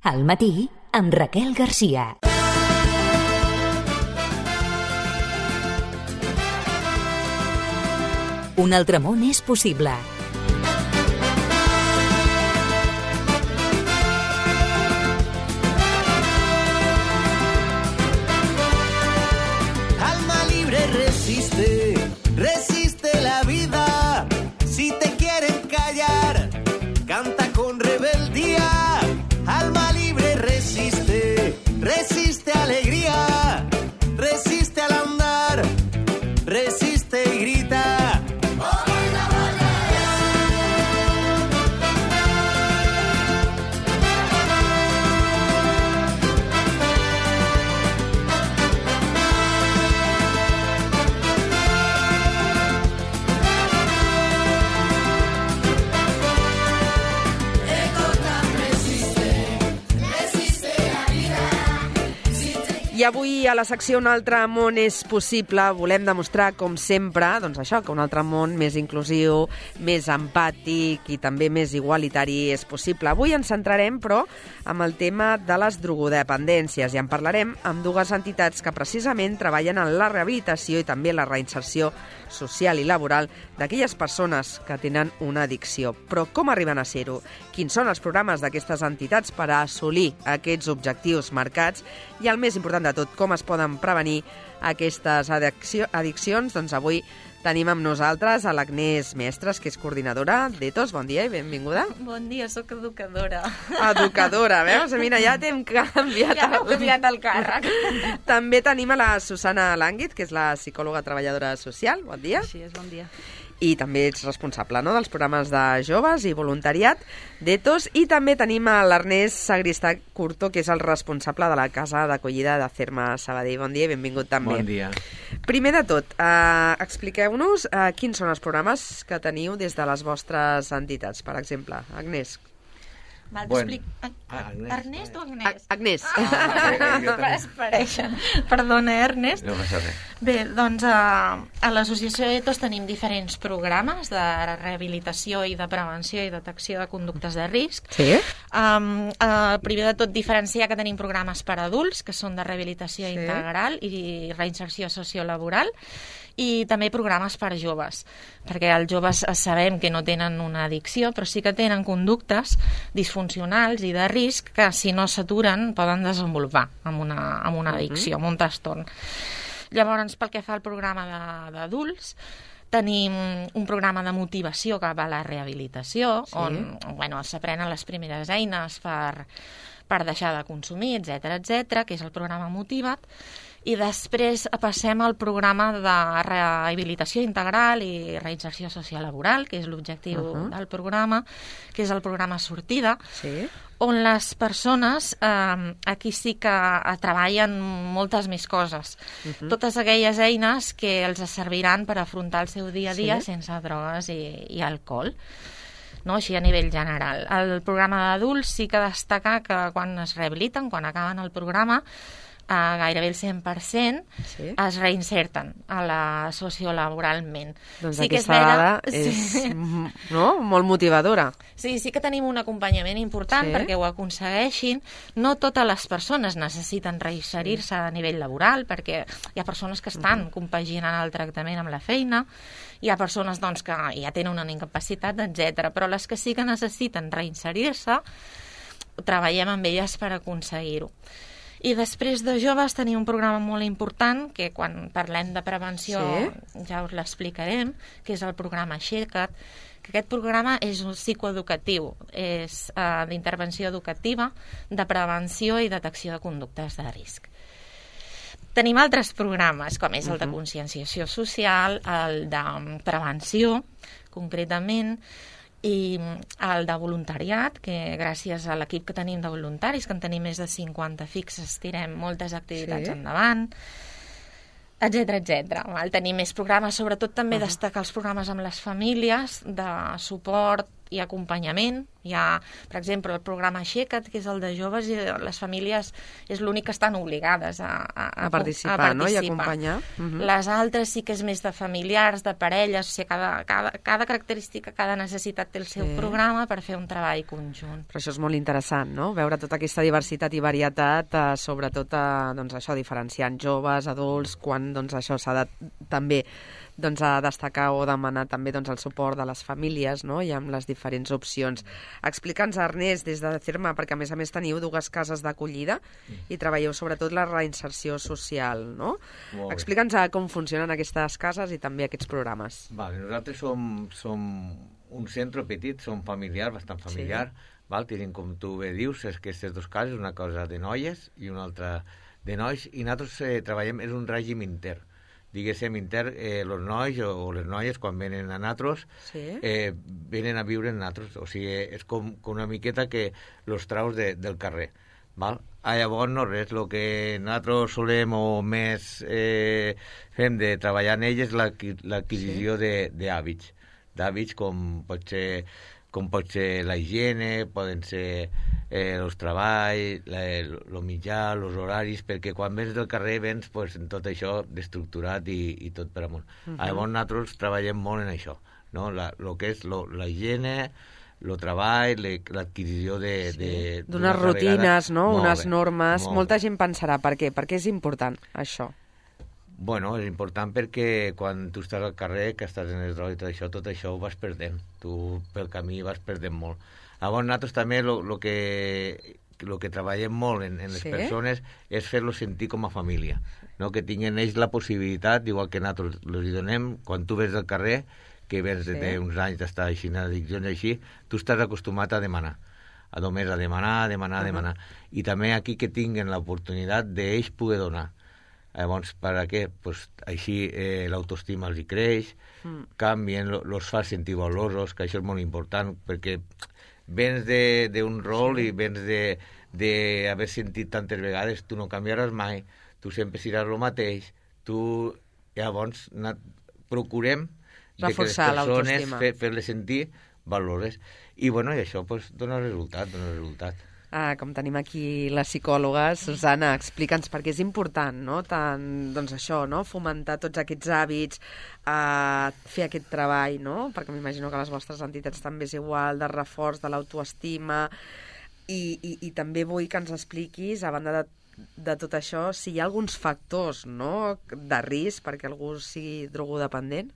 Al matí, amb Raquel Garcia. Un altre món és possible. Alma libre resiste la vida. Si te quieren callar, canta con rebeldía. Alma libre resiste alegría, resiste al andar, resiste y grita. I avui a la secció Un altre món és possible volem demostrar, com sempre, doncs això, que un altre món més inclusiu, més empàtic i també més igualitari és possible. Avui ens centrarem, però, amb el tema de les drogodependències i en parlarem amb dues entitats que precisament treballen en la rehabilitació i també la reinserció social i laboral d'aquelles persones que tenen una addicció. Però com arriben a ser-ho? Quins són els programes d'aquestes entitats per a assolir aquests objectius marcats? I el més important de tot, com es poden prevenir aquestes addiccions? Doncs avui tenim amb nosaltres a l'Agnès Mestres, que és coordinadora d'Ethos. Bon dia i benvinguda. Bon dia, sóc educadora. Educadora, veus? Mira, ja t'hem canviat, el càrrec. També tenim a la Susana Lànguit, que és la psicòloga treballadora social. Bon dia. Així és, bon dia. I també ets responsable, no?, dels programes de joves i voluntariat d'Ethos. I també tenim a l'Ernest Sagristà Curto, que és el responsable de la casa d'acollida de Cerma Sabadell. Bon dia i benvingut també. Bon dia. Primer de tot, expliqueu-nos quins són els programes que teniu des de les vostres entitats, per exemple. Agnès. Val, Bueno. Agnès. Ernest o Agnès? Agnès. Es pareixen. Perdona, Ernest. No passa res. Bé, doncs a l'associació Ethos tenim diferents programes de rehabilitació i de prevenció i detecció de conductes de risc. Sí? Primer de tot, diferenciar que tenim programes per a adults, que són de rehabilitació integral i reinserció sociolaboral, i també programes per a joves, perquè els joves sabem que no tenen una addicció, però sí que tenen conductes disfuncionals i de risc que, si no s'aturen, poden desenvolupar amb una addicció, amb un trastorn. Llavors, pel que fa al programa d'adults, tenim un programa de motivació cap a la rehabilitació, on s'aprenen les primeres eines per deixar de consumir, etc, que és el programa Motiva't, i després passem al programa de rehabilitació integral i reinserció sociolaboral, que és l'objectiu del programa, que és el programa Sortida, on les persones, aquí sí que treballen moltes més coses. Totes aquelles eines que els serviran per afrontar el seu dia a dia sense drogues i alcohol. No? Així a nivell general. El programa d'adults sí que destaca que quan es rehabiliten, quan acaben el programa, gairebé el 100% es reinserten a la sociolaboralment. Doncs aquesta dada és molt motivadora. Sí que tenim un acompanyament important perquè ho aconsegueixin. No totes les persones necessiten reinserir-se a nivell laboral, perquè hi ha persones que estan compaginant el tractament amb la feina, hi ha persones que ja tenen una incapacitat, etc. Però les que sí que necessiten reinserir-se, treballem amb elles per aconseguir-ho. I després de joves tenim un programa molt important, que quan parlem de prevenció ja us l'explicarem, que és el programa Aixeca't, que aquest programa és un psicoeducatiu, és d'intervenció educativa, de prevenció i detecció de conductes de risc. Tenim altres programes, com és el de conscienciació social, el de prevenció, concretament, i el de voluntariat, que gràcies a l'equip que tenim de voluntaris, que en tenim més de 50 fixes, tirem moltes activitats endavant, etc. Tenim més programes, sobretot també destacar els programes amb les famílies de suport hi ha acompanyament, hi ha, per exemple, el programa Aixeca't, que és el de joves, i les famílies és l'únic que estan obligades a participar, no? I acompanyar. Les altres sí que és més de familiars, de parelles, o sigui, cada característica, cada necessitat té el seu programa per fer un treball conjunt. Però això és molt interessant, no? Veure tota aquesta diversitat i varietat, sobretot doncs, això, diferenciant joves, adults, quan doncs, això s'ha de també doncs, a destacar o demanar també doncs, el suport de les famílies, no? I amb les diferents opcions. Explica'ns, Ernest, des de CERMA, perquè a més teniu 2 cases d'acollida i treballeu sobretot la reinserció social, no? Explica'ns com funcionen aquestes cases i també aquests programes. Vale, nosaltres som un centre petit, som familiar, bastant familiar, val? Tenim, com tu bé dius, aquestes 2 cases, una cosa de noies i una altra de nois, i nosaltres treballem, és un règim intern. Diguéssim, els nois o les noies, quan venen a nosaltres, venen a viure en nosaltres. O sigui, és com una miqueta que els traus del carrer. Val? Llavors, no res, el que nosaltres solem o més fem de treballar en elles és l'adquisició d'hàbits. D'hàbits com pot ser la higiene, poden ser els treballs, el mitjà, els horaris, perquè quan vens del carrer vens pues, en tot això d'estructurat i tot per amunt. Llavors nosaltres treballem molt en això, no? El que és la higiene, el treball, l'adquisició d'unes rutines, no? Unes normes. Molta gent pensarà, per què? Per què és important això? Bueno, és important perquè quan tu estàs al carrer, que estàs en les drogues i tot això ho vas perdent. Tu pel camí vas perdent molt. Llavors nosaltres també el que treballem molt en les persones és fer-los sentir com a família, no? Que tinguin ells la possibilitat, igual que nosaltres els donem, quan tu vens del carrer, que vens de uns anys d'estar així en addiccions així, tu estàs acostumat a demanar, només a demanar. I també aquí que tinguin l'oportunitat d'ells poder donar. Llavors, per a què? Pues, així l'autoestima els hi creix, canvien, els fa sentir valorosos, que això és molt important, perquè vens d'un rol i vens d'haver sentit tantes vegades, tu no canviaràs mai, tu sempre seràs el mateix, llavors procurem de que les persones fer-les sentir valores. I bueno, i això pues, dona resultat. Com tenim aquí la psicòloga, Susana, explica'ns per què és important, no? Tant, doncs això, no? Fomentar tots aquests hàbits, fer aquest treball, no? Perquè m'imagino que les vostres entitats també és igual, de reforç de l'autoestima, i també vull que ens expliquis, a banda de tot això, si hi ha alguns factors, no?, de risc perquè algú sigui drogodependent.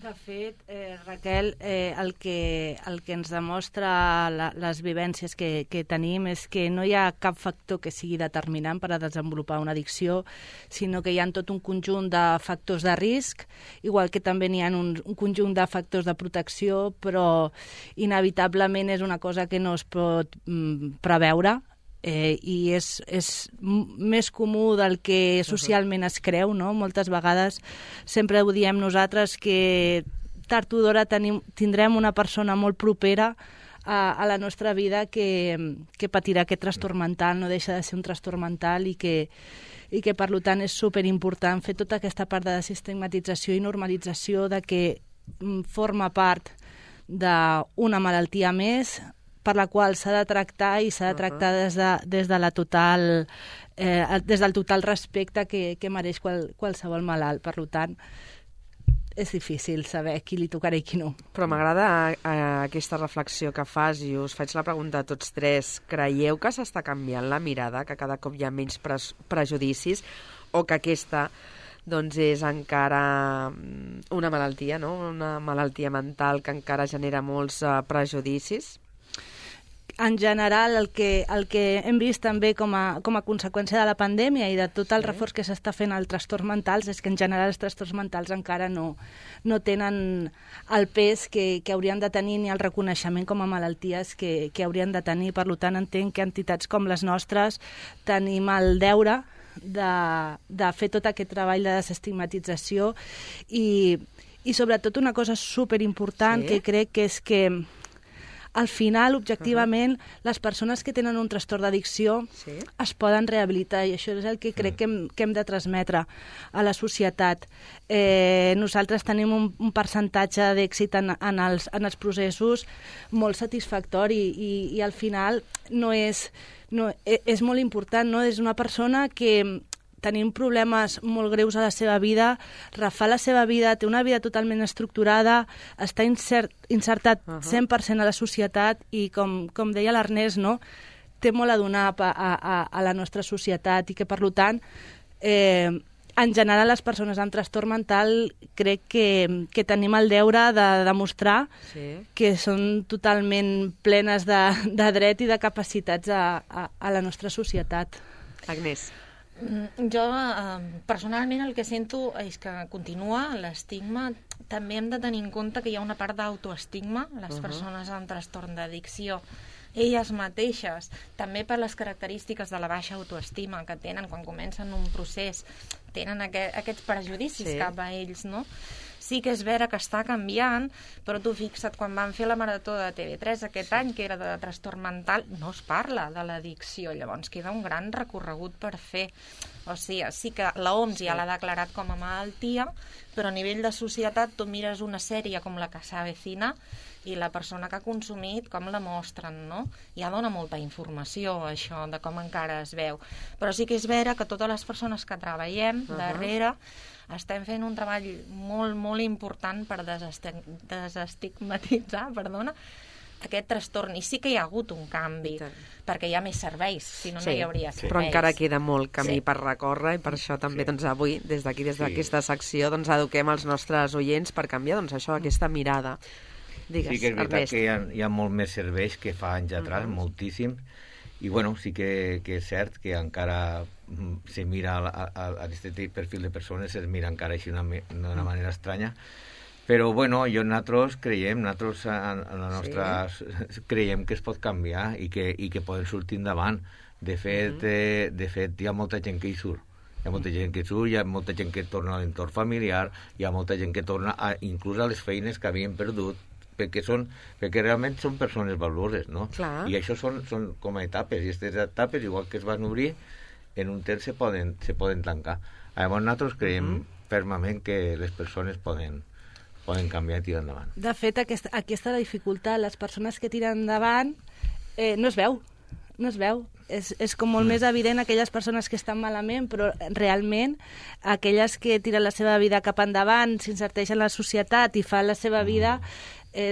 De fet, Raquel, el que ens demostra les vivències que tenim és que no hi ha cap factor que sigui determinant per a desenvolupar una addicció, sinó que hi ha tot un conjunt de factors de risc, igual que també n'hi ha un conjunt de factors de protecció, però inevitablement és una cosa que no es pot preveure, i és més comú del que socialment es creu, no? Moltes vegades sempre ho diem nosaltres que tard o d'hora tindrem una persona molt propera a la nostra vida que patirà aquest trastorn mental, no deixa de ser un trastorn mental i que per tant és superimportant fer tota aquesta part de desestigmatització i normalització de que forma part d'una malaltia més per la qual s'ha de tractar i s'ha de tractar des del total respecte que mereix qualsevol malalt. Per tant, és difícil saber qui li tocarà i qui no. Però m'agrada aquesta reflexió que fas i us faig la pregunta a tots tres. Creieu que s'està canviant la mirada, que cada cop hi ha menys prejudicis, o que aquesta doncs és encara una malaltia, no? Una malaltia mental que encara genera molts prejudicis? En general, el que hem vist també com a conseqüència de la pandèmia i de tot el reforç que s'està fent als trastorns mentals és que en general els trastorns mentals encara no tenen el pes que haurien de tenir ni el reconeixement com a malalties que haurien de tenir. Per tant, entenc que entitats com les nostres tenim el deure de fer tot aquest treball de desestigmatització i sobretot una cosa superimportant que crec que és que al final, objectivament, les persones que tenen un trastorn d'addicció es poden rehabilitar, i això és el que crec que hem de transmetre a la societat. Nosaltres tenim un percentatge d'èxit en els processos molt satisfactori, i al final és molt important, no? És una persona que tenim problemes molt greus a la seva vida, refà la seva vida, té una vida totalment estructurada, està insertat 100% a la societat i, com deia l'Ernest, no? Té molt a donar a la nostra societat, i que, per tant, en general, les persones amb trastorn mental crec que tenim el deure de demostrar que són totalment plenes de dret i de capacitats a la nostra societat. Agnès. Jo, personalment, el que sento és que continua l'estigma. També hem de tenir en compte que hi ha una part d'autoestigma. Les persones amb trastorn d'addicció, elles mateixes, també per les característiques de la baixa autoestima que tenen quan comencen un procés, tenen aquests prejudicis cap a ells, no? Sí que és vera que està canviant, però tu fixa't, quan van fer la marató de TV3 aquest any, que era de trastorn mental, no es parla de l'addicció, llavors queda un gran recorregut per fer. O sigui, sí que l'OMS ja l'ha declarat com a malaltia, però a nivell de societat tu mires una sèrie com La que s'avecina i la persona que ha consumit, com la mostren, no? Ja dona molta informació, això, de com encara es veu. Però sí que és vera que totes les persones que treballem darrere estem fent un treball molt, molt important per desestigmatitzar, aquest trastorn. I sí que hi ha hagut un canvi, perquè hi ha més serveis, si no, no hi hauria serveis. Però encara queda molt camí per recórrer, i per això també avui, des d'aquí, des d'aquesta secció, eduquem els nostres oients per canviar això, aquesta mirada. Digues, sí que és veritat que hi ha molt més serveis que fa anys atrás, moltíssim, i bueno, sí que és cert que encara se mira a aquest perfil de persones, es mira encara així d'una manera estranya, però bueno, nosaltres creiem, creiem que es pot canviar i que poden sortir endavant. De fet, hi ha molta gent que hi surt. Hi ha molta gent que surt, hi ha molta gent que torna a l'entorn familiar, hi ha molta gent que torna inclús a les feines que havien perdut, perquè realment són persones valuoses, no? Clar. I això són com a etapes, i aquestes etapes, igual que es van obrir, en un temps se poden tancar. Llavors nosaltres creiem fermament que les persones poden canviar i tirar endavant. De fet, aquesta dificultat, les persones que tiren endavant, no es veu. És com molt més evident aquelles persones que estan malament, però realment aquelles que tiren la seva vida cap endavant, s'insereixen en la societat i fan la seva vida,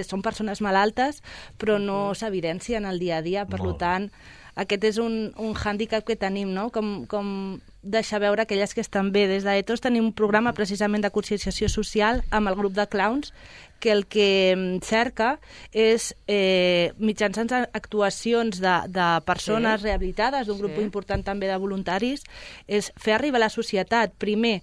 són persones malaltes, però no s'evidencien al dia a dia. Per tant, aquest és un hàndicap que tenim, no? Com deixar veure aquelles que estan bé. Des d'Ethos tenim un programa precisament de conscienciació social amb el grup de clowns, que el que cerca és, mitjançant actuacions de persones rehabilitades, d'un grup important també de voluntaris, és fer arribar a la societat, primer,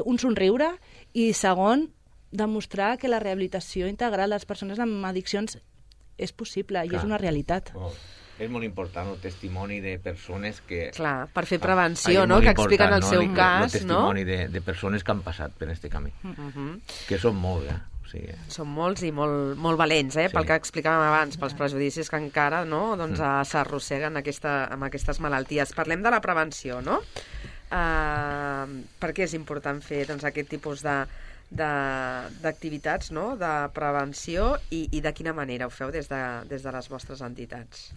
un somriure, i segon, demostrar que la rehabilitació integral de les persones amb addiccions és possible i és una realitat. És molt important el testimoni de persones que... Clar, per fer prevenció, no?, que expliquen el seu cas, no? El testimoni de persones que han passat per aquest camí, que són molts, Són molts i molt valents, pel que explicàvem abans, pels prejudicis que encara s'arrosseguen amb aquestes malalties. Parlem de la prevenció, no? Per què és important fer aquest tipus d'activitats, no?, de prevenció, i de quina manera ho feu des de les vostres entitats?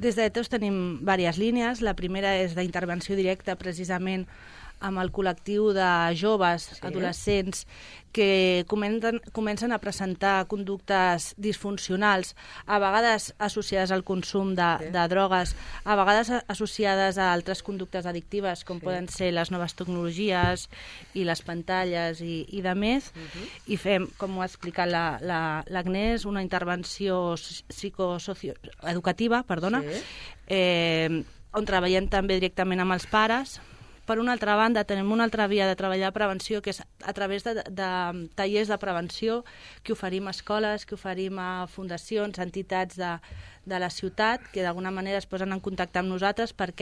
Des d'Ethos tenim diverses línies. La primera és d'intervenció directa, precisament amb el col·lectiu de joves, adolescents, que comencen a presentar conductes disfuncionals, a vegades associades al consum de drogues, a vegades associades a altres conductes addictives, com poden ser les noves tecnologies i les pantalles i de més, i fem, com ho ha explicat l'Agnès, una intervenció psicosocioeducativa, on treballem també directament amb els pares. Per una altra banda, tenim una altra via de treballar prevenció, que és a través de tallers de prevenció que oferim a escoles, que oferim a fundacions, entitats de la ciutat, que d'alguna manera es posen en contacte amb nosaltres per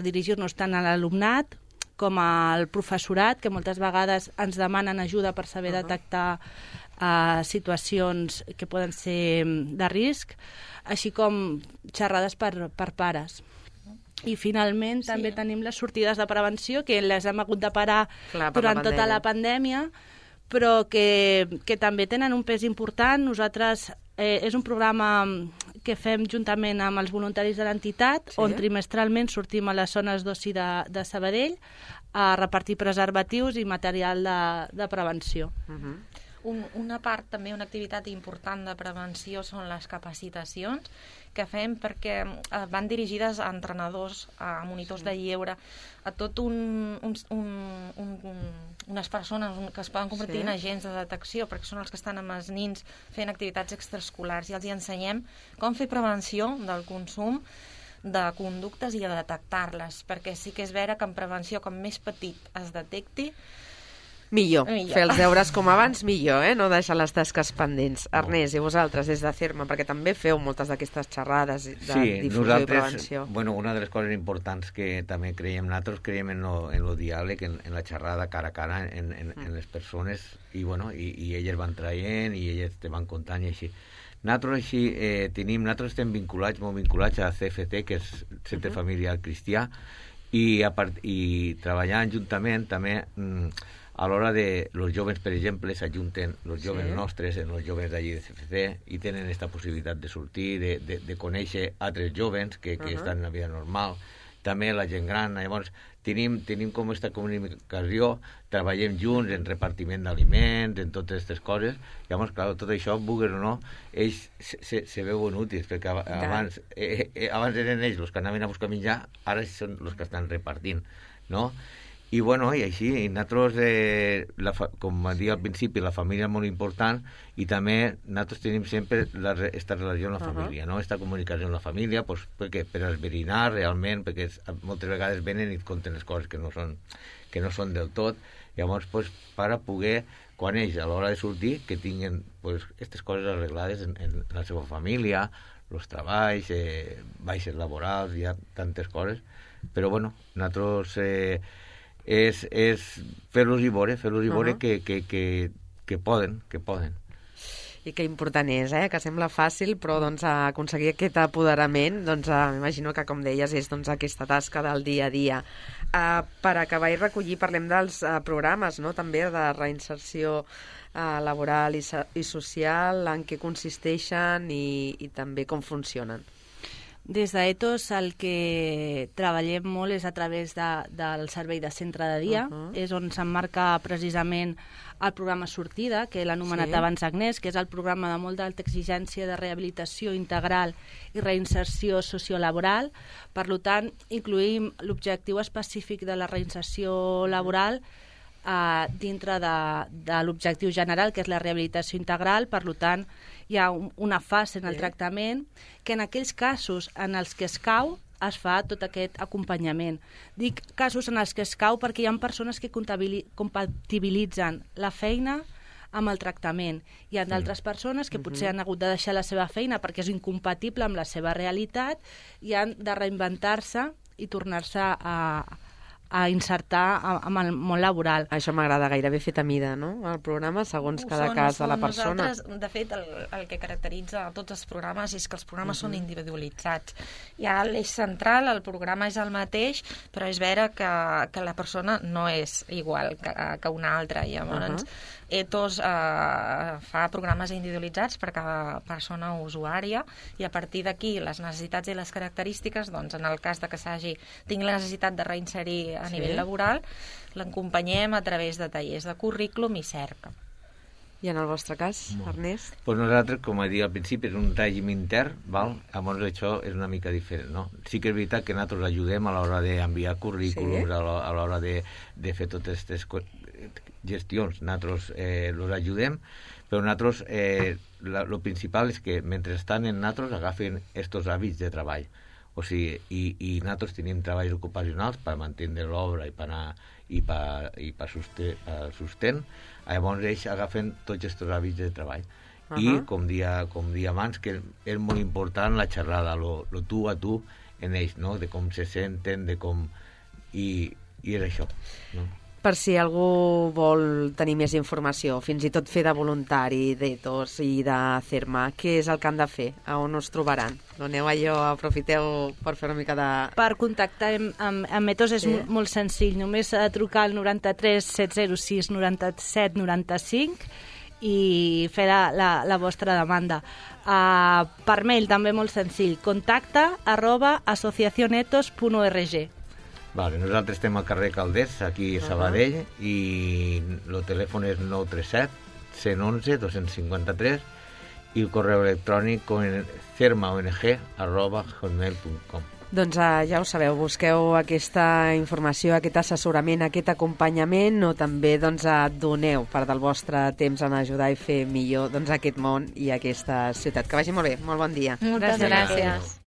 dirigir-nos tant a l'alumnat com el professorat, que moltes vegades ens demanen ajuda per saber detectar situacions que poden ser de risc, així com xerrades per pares. I finalment també tenim les sortides de prevenció, que les hem hagut de parar durant tota la pandèmia, però que també tenen un pes important. Nosaltres és un programa que fem juntament amb els voluntaris de l'entitat, on trimestralment sortim a les zones d'oci de Sabadell a repartir preservatius i material de prevenció. Una part, també una activitat important de prevenció són les capacitacions que fem, perquè van dirigides a entrenadors, a monitors de lleure, a tot unes persones que es poden convertir en agents de detecció, perquè són els que estan amb els nins fent activitats extraescolars, i els ensenyem com fer prevenció del consum de conductes i a detectar-les, perquè sí que és vera que en prevenció, com més petit es detecti, millor. Fer els deures com abans, millor, no deixar les tasques pendents. Ernest, i vosaltres, des de CERMA, perquè també feu moltes d'aquestes xerrades de difusió i prevenció. Bueno, una de les coses importants que també creiem nosaltres, creiem en lo diàleg, en la xerrada cara a cara, en les persones, i bueno, i elles van traient, i elles te van contant, i així. Nosaltres estem molt vinculats a CFC, que és Centre Familiar Cristià, i treballant juntament també a l'hora de los joves, per exemple, s'ajunten els joves nostres en els joves d'allí de CFC i tenen aquesta possibilitat de sortir, de conèixer altres joves que estan en la vida normal, també la gent gran. Llavors tenim com aquesta comunicació, treballem junts en repartiment d'aliments, en totes aquestes coses. Llavors, clar, tot això, vulguis o no, ells se veuen útils, perquè abans eren ells els que anaven a buscar menjar, ara són els que estan repartint, no? I bueno, i així, i nosaltres, com deia al principi, la família és molt important, i també nosaltres tenim sempre aquesta relació amb la família, no? Aquesta comunicació amb la família, pues, per esbrinar realment, perquè moltes vegades venen i et conten les coses que no són del tot. Llavors, pues, per a poder, quan ells, a l'hora de sortir, que tinguin aquestes coses arreglades en la seva família, els treballs, baixes laborals, hi ha tantes coses. Però, bueno, nosaltres és fer-los i veure que poden. I que important és, que sembla fàcil, però aconseguir aquest apoderament, m'imagino que, com deies, és aquesta tasca del dia a dia. Per acabar i recollir, parlem dels programes, també de reinserció laboral i social, en què consisteixen i també com funcionen. Des d'Ethos el que treballem molt és a través del servei de centre de dia, és on s'emmarca precisament el programa Sortida, que l'ha anomenat abans Agnès, que és el programa de molt d'alta exigència de rehabilitació integral i reinserció sociolaboral. Per tant, incluïm l'objectiu específic de la reinserció laboral dintre de l'objectiu general, que és la rehabilitació integral. Per tant, hi ha una fase en el tractament que en aquells casos en els que es cau es fa tot aquest acompanyament. Dic casos en els que es cau perquè hi ha persones que compatibilitzen la feina amb el tractament. Hi ha d'altres persones que potser han hagut de deixar la seva feina perquè és incompatible amb la seva realitat i han de reinventar-se i tornar-se a insertar amb el món laboral. Això m'agrada, gairebé fet a mida, no? El programa, segons cada cas de la persona. Nosaltres, de fet, el que caracteritza tots els programes és que els programes són individualitzats. Hi ha l'eix central, el programa és el mateix, però és vera que la persona no és igual que una altra. Llavors, Ethos fa programes individualitzats per cada persona usuària, i a partir d'aquí les necessitats i les característiques, doncs en el cas de que tingui la necessitat de reinserir a nivell laboral, l'acompanyem a través de tallers de currículum i cerca. I en el vostre cas, Ernest? Pues nosaltres, com he dit al principi, és un règim intern, llavors això és una mica diferent, no? Sí que és veritat que nosaltres ajudem a l'hora d'enviar currículums, a l'hora de fer totes aquestes gestions, nosaltres els ajudem, però nosaltres, el principal és que mentre estan en nosaltres agafen aquests hàbits de treball. O sigui, i nosaltres tenim treballs ocupacionals per mantenir l'obra i per sostén. Llavors ells agafen tots aquests hàbits de treball. I, com dia abans, que és molt important la xerrada, lo tu a tu en ells, no? De com se senten, de com... I és això, no? Per si algú vol tenir més informació, fins i tot fer de voluntari d'Ethos i de CERMA, què és el que han de fer? A on us trobaran? Doneu allò, aprofiteu per fer una mica de... Per contactar amb Ethos és molt senzill, només trucar al 93 706 97 95 i fer la vostra demanda. Per mail també molt senzill, contacta@asociacionethos.org. Vale, nosaltres estem al carrer Calders, aquí a Sabadell, i el telèfon és 937 111 253 i el correu electrònic cermaong@hotmail.com. Doncs ja ho sabeu, busqueu aquesta informació, aquest assessorament, aquest acompanyament, o també doneu part del vostre temps en ajudar i fer millor aquest món i aquesta ciutat. Que vagi molt bé, molt bon dia. Moltes gràcies.